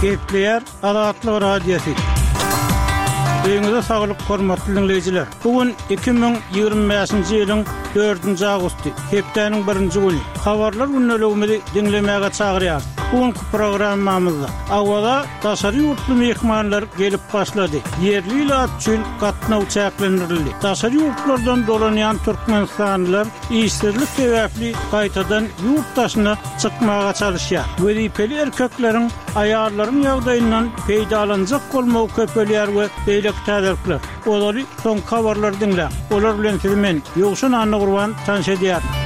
Gepleýär Azatlyk Radiosy. Öýüňize saglyk, hormatly diňleýjiler! Bu gün 2025-nji ýylyň dördünji awgusty, hepdäniň birinji güni. Habarlar gündeligimizi diňlemäge çagyrýarys. Bu günki programmamyzda Awaza daşary ýurtly myhmanlar gelip başlady. Ýerli ilat üçin gatnaw çäklendirildi. Daşary ýurtlardan dolanýan türkmenistanlylar işsizlik sebäpli gaýtadan ýurt daşyna çykmaga çalyşýar. Wezipeli erkekleriň aýallaryň ýagdaýyndan peýdalanjak bolmagy köpelýär we beýleki täzelikler. Ozaly soňky habarlary diňläň. Olar bilen sizi men, Ýowşan Annagurban tanyş edýärin.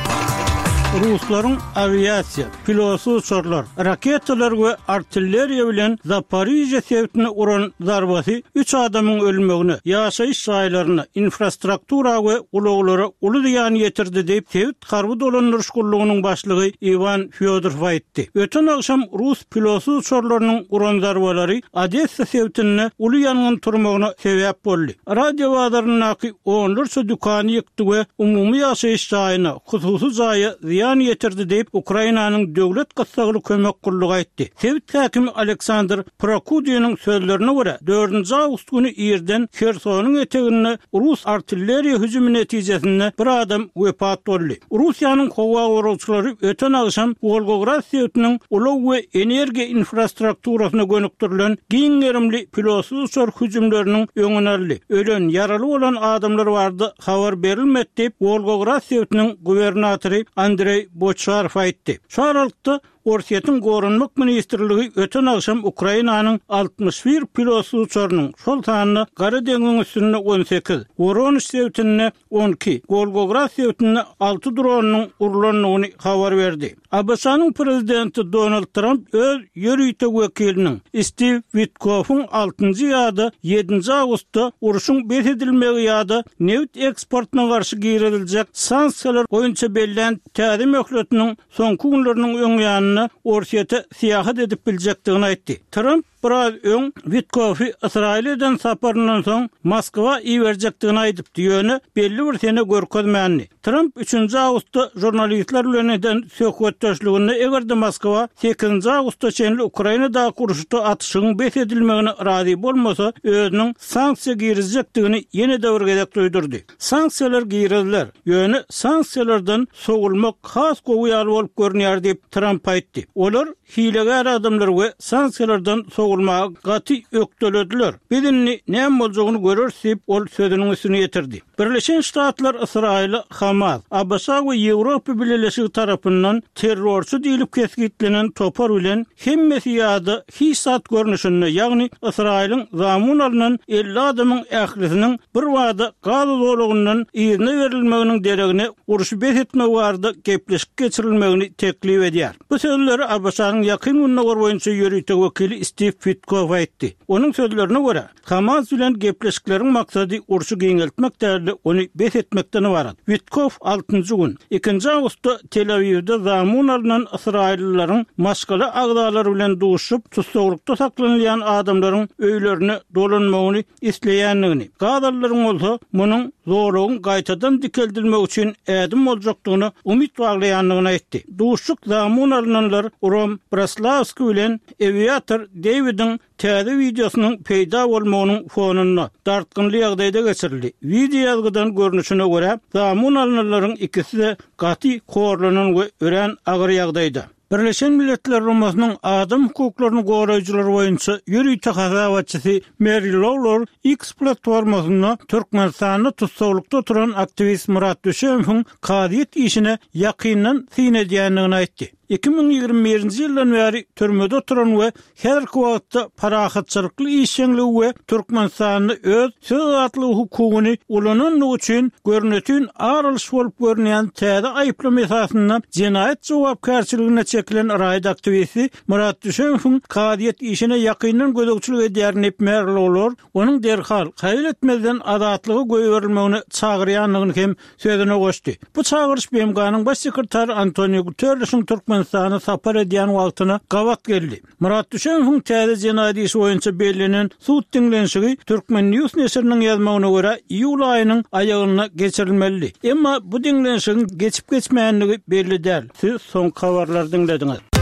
Ruslaryň awiasiýa, pilotsyz uçarlar, raketalar we artilleriýa bilen Zaporižýa sebitine uran zarbasy üç adamyň ölmegine, ýaşaýyş jaýlaryna, infrastruktura we ulaglara uly zyýan ýetirdi diýip, sebit harby dolandyryş gullugynyň başlygy Iwan Fýodorow aýtdy. Öten agşam rus pilotsyz uçarlarynyň uran zarbalary Odessa sebitinde uly ýangyn turmagyna sebäp boldy. Radio bazaryndaky onlarça dükany ýykdy we umumy ýaşaýyş jaýyna, hususy jaýa zyýan ýetirdi diýip, Ukrainanyň döwlet gyssagly kömek gullugy aýtdy. Sebit häkimi Aleksandr Prokudiniň sözlerine görä, dördünji awgust güni irden Hersonyň eteginde rus artilleriýa hüjümi netijesinde bir adam wepat boldy. Russiýanyň howa goragçylary öten agşam Wolgograd sebitiniň ulag we energiýa infrastrukturasyna gönükdirilen giň gerimli pilotsyz uçar hüjümleriniň öňüni aldy. Ölen, ýaraly bolan adamlar barada habar berilmedi diýip, Wolgograd sebitiniň gubernatory Andreý Boçarow aýtdy. Şu aralykda, Orsýetiň Goranmak ministrligi öten agşam Ukrainanyň 61 pilotsyz uçarynyň, şol sanda Gara deňziň üstünde 18, Woronež sebitinde 12, Wolgograd sebitinde alty dronynyň urlandygyny habar berdi. ABŞ-nyň prezidenti Donald Tramp öz ýörite wekiliniň Stiw Witkoffyň altynjy ýa-da ýedinji awgustda urşuň bes edilmegi ýa-da nebit eksportyna garşy giriziljek sanksiýalar boýunça bellän täze möhletiniň soňky günleriniň öň ýanynda Orsýete syýahat edip biljekdigini aýtdy. Tramp biraz öň Witkoffy Ysraýyla eden saparyndan soň Moskwa iberjekdigini aýdypdy, ýöne belli bir sene görkezmändi. Tramp üçünji awgustda žurnalistler bilen eden söhbetdeşliginde eger-de Moskwa sekizinji awgusta çenli Ukrainadaky uruşda atyşygyň bes edilmegine razy bolmasa, özüniň sanksiýa girizjekdigini ýene-de bir gezek duýdurdy. Sanksiýalar giriziler, ýöne sanksiýalardan sowulmak has gowy ýaly bolup görünýär diýip, Tramp aýtdy. Olar hilegär adamlar we sanksiýalardan sowulmaga gaty ökdelediler. Biz indi näme boljagyny göreris diýip, ol sözüniň üstüni ýetirdi. Birleşen Ştatlar Ysraýyla Hamas, ABŞ we Ýewropa Bileleşigi tarapyndan terrorçy diýlip kesgitlenen topar bilen hemmesi ýa-da hiç zat görnüşinde, ýagny Ysraýylyň zamun alnan 50 adamyň ählisiniň birbada Gaza zolagyndan yzyna berilmeginiň deregine urşy bes etmek barada gepleşik geçirilmegini teklip edýär. Bu sözleri ABŞ-nyň Ýakyn Gündogar boýunça ýörite wekili Stiw Witkoff aýtdy. Onuň sözlerine görä, Hamas bilen gepleşikleriň maksady urşy giňeltmek däl-de, ony bes etmekden ybarat. Witkoff altynjy gün, ikinji awgustda Tel-Awiwde zamun alnan ysraýyllylaryň maşgala agzalary bilen duşuşyp, tussaglykda saklanylýan adamlaryň öýlerine dolanmagyny isleýändigini, gazalylaryň bolsa munuň zolagyň gaýtadan dikeldilmegi üçin ädim boljakdygyna umyt baglaýandygyny aýtdy. Duşuşyk zamun alnanlar Rom Braslawski bilen Ewiatar Dewidiň Täze wideosynyň peýda bolmagynyň fonunda, dartgynly ýagdaýda geçirildi. Wideoýazgydan görnüşine görä, zamun alnanlaryň ikisi-de gaty horlanan we örän agyr ýagdaýda. Birleşen Milletler Guramasynyň adam hukuklaryny goraýjylar boýunça ýörite hasabatçysy Meri Lawlor X platformasynda Türkmenistanda tussaglykda oturan aktiwist Myrat Düşemowyň kazyýet işine ýakyndan syn edýändigini aýtdy. 2021-nji ýyldan bäri türmede oturan we häzirki wagtda parahatçylykly işjeňligi we Türkmenistanda öz söz azatlygy hukugyny ulanandygy üçin görnetin ar alyş bolup görünýän täze aýyplama esasynda jenaýat jogapkärçiligine çekilen raýat aktiwisti Myrat Düşemowyň kazyýet işine ýakyndan gözegçilik edýär diýip Merlolar onuň derhal, haýal etmezden azatlyga goýberilmegine çagyrýandygyny hem sözüne goşdy. Bu çagyryş BMG-niň Baş sekretary Antonio Guterrişiň Türkmenistana sapar edýän wagtyna gabat geldi. Myrat Düşemowyň täze jenaýat işi boýunça bellenen sud diňlenişigi Turkmen. News neşiriniň ýazmagyna görä, iýul aýynyň aýagynda geçirilmelidi. Emma bu diňlenişigiň geçip-geçmändigi belli däl. Siz soňky habarlary diňlediňiz.